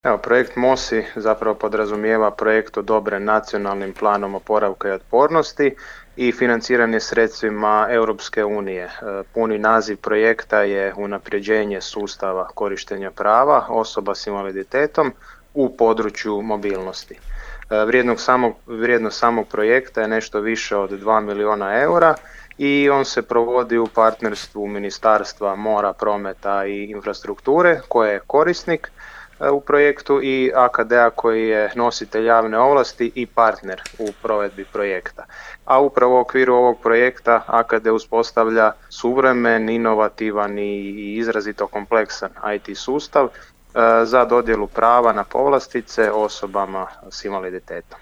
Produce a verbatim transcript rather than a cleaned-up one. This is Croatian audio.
Evo, projekt MOSI zapravo podrazumijeva projekt odobren nacionalnim planom oporavka i otpornosti i financiran je sredstvima Europske unije. Puni naziv projekta je unapređenje sustava korištenja prava osoba s invaliditetom u području mobilnosti. Vrijednost samog, vrijednost samog projekta je nešto više od dva milijuna eura i on se provodi u partnerstvu Ministarstva mora, prometa i infrastrukture koje je korisnik u projektu i A K D-a koji je nositelj javne ovlasti i partner u provedbi projekta. A upravo u okviru ovog projekta A K D uspostavlja suvremen, inovativan i izrazito kompleksan I T sustav za dodjelu prava na povlastice osobama s invaliditetom.